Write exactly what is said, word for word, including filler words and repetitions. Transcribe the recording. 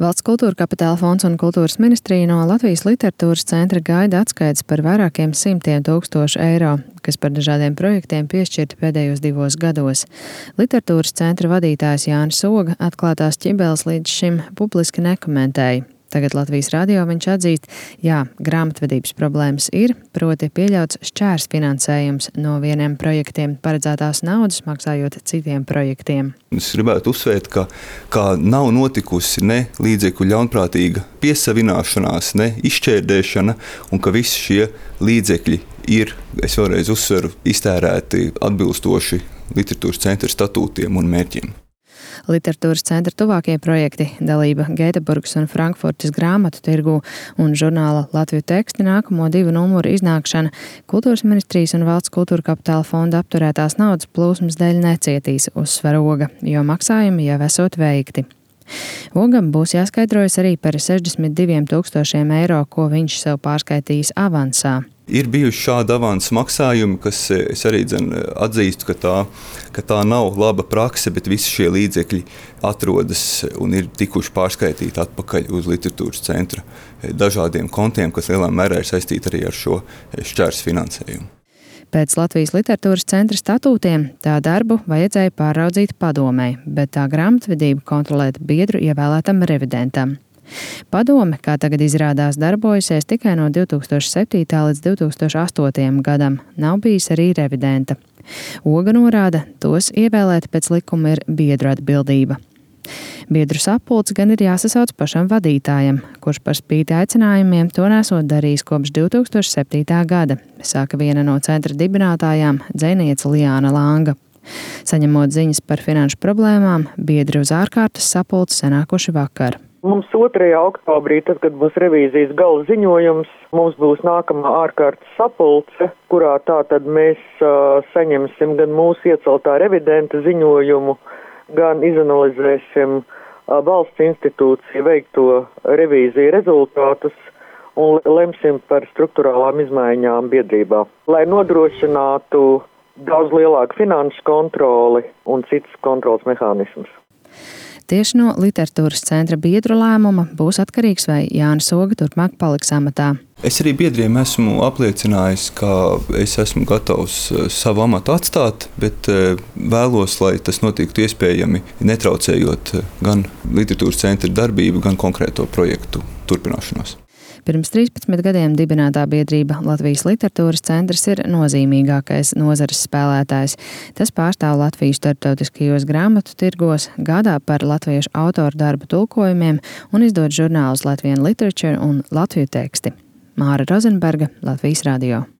Valsts kultūra kapitāla fonds un kultūras ministrija no Latvijas literatūras centra gaida atskaites par vairākiem simtiem tūkstošu eiro, kas par dažādiem projektiem piešķirti pēdējos divos gados. Literatūras centra vadītājs Jānis Oga atklātās ķibeles līdz šim publiski nekomentēja. Tagad Latvijas radio viņš atzīst, jā, grāmatvedības problēmas ir, proti pieļauts šķērs finansējums no vieniem projektiem paredzētās naudas, maksājot citiem projektiem. Es gribētu uzsvērt, ka, ka nav notikusi ne līdzekļu ļaunprātīga piesavināšanās, ne izšķērdēšana, un ka visi šie līdzekļi ir, es vēlreiz uzsveru, iztērēti atbilstoši literatūras centra statūtiem un mērķiem. Literatūras centra tuvākie projekti – dalība Gēteburgas un Frankfurtes grāmatu tirgū un žurnāla Latviju teksti nākamo divu numuru iznākšana Kultūras ministrijas un Valsts kultūra kapitāla fonda apturētās naudas plūsmas dēļ necietīs, uzsver Oga, jo maksājumi jau esot veikti. Ogam būs jāskaidrojas arī par sešdesmit diviem tūkstošiem eiro, ko viņš sev pārskaitījis avansā. Ir bijuši šādi avansa maksājumi, kas es arī dzen, atzīstu, ka tā, ka tā nav laba prakse, bet visi šie līdzekļi atrodas un ir tikuši pārskaitīti atpakaļ uz literatūras centra dažādiem kontiem, kas lielā mērā ir saistīti arī ar šo šķērs finansējumu. Pēc Latvijas literatūras centra statūtiem tā darbu vajadzēja pāraudzīt padomei, bet tā grāmatvedību kontrolēt biedru ievēlētam revidentam. Padome, kā tagad izrādās, darbojusies tikai no divi tūkstoši septītā līdz divi tūkstoši astotajam gadam, nav bijis arī revidenta. Oga norāda, tos ievēlēt pēc likuma ir biedru atbildība. Biedru sapulcs gan ir jāsasauc pašam vadītājam, kurš par spīti aicinājumiem to nesot darījis kopš divi tūkstoši septītā gada, saka viena no centra dibinātājām, dzejniece Liāna Langa. Saņemot ziņas par finanšu problēmām, biedri uz ārkārtas sapulci sanākuši vakar. Mums otrajā oktobrī, tad, kad būs revīzijas gala ziņojums, mums būs nākamā ārkārtas sapulce, kurā tātad mēs uh, saņemsim gan mūsu ieceltā revidenta ziņojumu, gan izanalizēsim uh, valsts institūciju veikto revīziju rezultātus un lemsim par struktūrālām izmaiņām biedrībā, lai nodrošinātu daudz lielāku finanšu kontroli un citas kontrolas mehānismus. Tieši no literatūras centra biedru lēmuma būs atkarīgs, vai Jānis Oga turpmāk paliks amatā. Es arī biedriem esmu apliecinājis, ka es esmu gatavs savu amatu atstāt, bet vēlos, lai tas notiktu iespējami, netraucējot gan literatūras centra darbību, gan konkrēto projektu turpināšanos. Pirms trīspadsmit gadiem dibinātā biedrība Latvijas literatūras centrs ir nozīmīgākais nozares spēlētājs. Tas pārstāv Latviju starptautiskajos grāmatu tirgos, gādā par latviešu autoru darbu tulkojumiem un izdod žurnālus Latvian Literature un Latviju teksti. Māra Rozenberga, Latvijas radio.